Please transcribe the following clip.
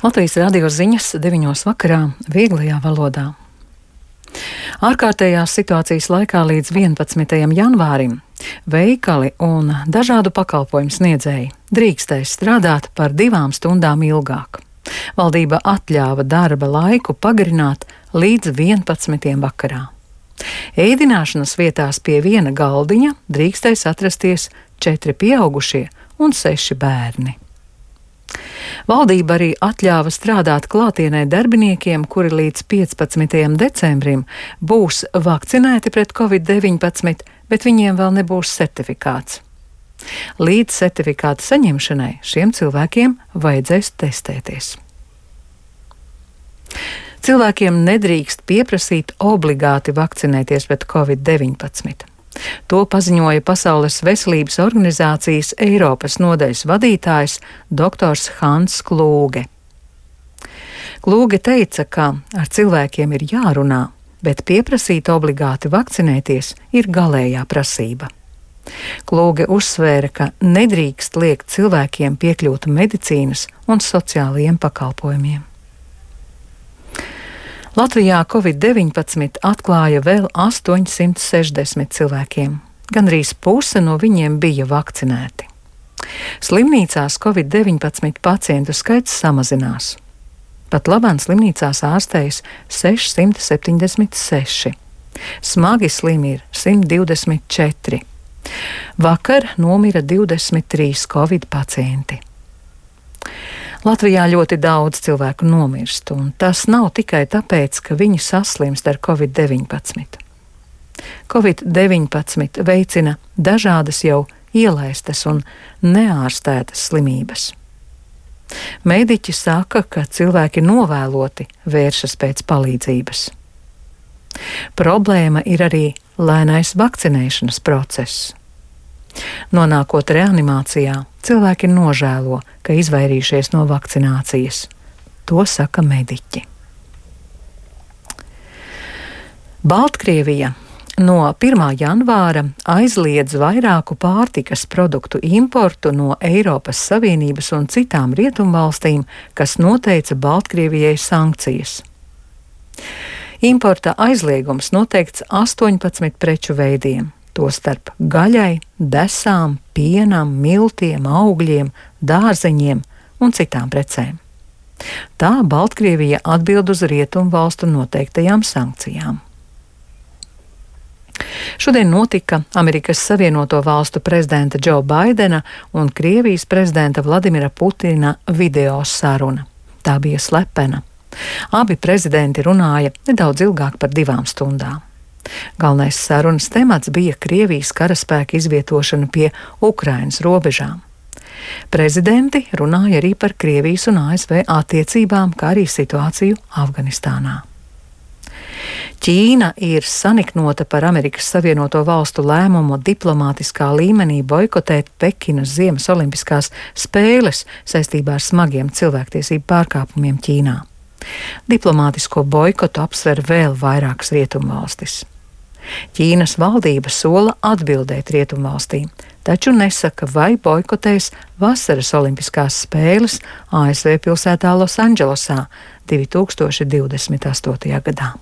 Latvijas radio ziņas 9 vakarā vieglajā valodā. Ārkārtējās situācijas laikā līdz 11. janvārim veikali un dažādu pakalpojumu sniedzēji drīkstēs strādāt par 2 stundām ilgāk. Valdība atļāva darba laiku pagarināt līdz 11. vakarā. Ēdināšanas vietās pie viena galdiņa drīkstēs atrasties 4 pieaugušie un 6 bērni. Valdība arī atļāva strādāt klātienē darbiniekiem, kuri līdz 15. decembrim būs vakcinēti pret Covid-19, bet viņiem vēl nebūs certifikāts. Līdz certifikāta saņemšanai šiem cilvēkiem vajadzēs testēties. Cilvēkiem nedrīkst pieprasīt obligāti vakcinēties pret Covid-19. To paziņoja Pasaules veselības organizācijas Eiropas nodaļas vadītājs dr. Hans Klūge. Klūge teica, ka ar cilvēkiem ir jārunā, bet pieprasīt obligāti vakcinēties ir galējā prasība. Klūge uzsvēra, ka nedrīkst liekt cilvēkiem piekļūt medicīnas un sociālajiem pakalpojumiem. Latvijā Covid-19 atklāja vēl 860 cilvēkiem. Gandrīz puse no viņiem bija vakcinēti. Slimnīcās Covid-19 pacientu skaits samazinās. Pat labāk slimnīcās ārstējas 676. Smagi slimi ir 124. Vakar nomira 23 Covid pacienti. Latvijā ļoti daudz cilvēku nomirst, un tas nav tikai tāpēc, ka viņi saslimst ar Covid-19. Covid-19 veicina dažādas jau ielaistas un neārstētas slimības. Mediķi saka, ka cilvēki novēloti vēršas pēc palīdzības. Problēma ir arī lēnais vakcinēšanas process. Nonākot reanimācijā, cilvēki nožēlo, ka izvairījušies no vakcinācijas. To saka mediķi. Baltkrievija no 1. janvāra aizliedz vairāku pārtikas produktu importu no Eiropas Savienības un citām rietumvalstīm, kas noteica Baltkrievijai sankcijas. Importa aizliegums noteikts 18 preču veidiem. Tostarp gaļai, desām, pienam, miltiem, augļiem, dārzeņiem un citām precēm. Tā Baltkrievija atbild uz rietumvalstu noteiktajām sankcijām. Šodien notika Amerikas Savienoto Valstu prezidenta Džo Baidena un Krievijas prezidenta Vladimira Putina video saruna. Tā bija slepena. Abi prezidenti runāja nedaudz ilgāk par 2 stundām. Galvenais sarunas temats bija Krievijas karaspēka izvietošana pie Ukrainas robežām. Prezidenti runāja arī par Krievijas un ASV attiecībām, kā arī situāciju Afganistānā. Ķīna ir saniknota par Amerikas Savienoto Valstu lēmumu diplomātiskā līmenī boikotēt Pekinas Ziemas olimpiskās spēles saistībā ar smagiem cilvēktiesību pārkāpumiem Ķīnā. Diplomātisko boikotu apsver vēl vairākas rietumvalstis. Ķīnas valdība sola atbildēt rietumvalstīm, taču nesaka, vai boikotēs vasaras olimpiskās spēles ASV pilsētā Losandželosā 2028. gadā.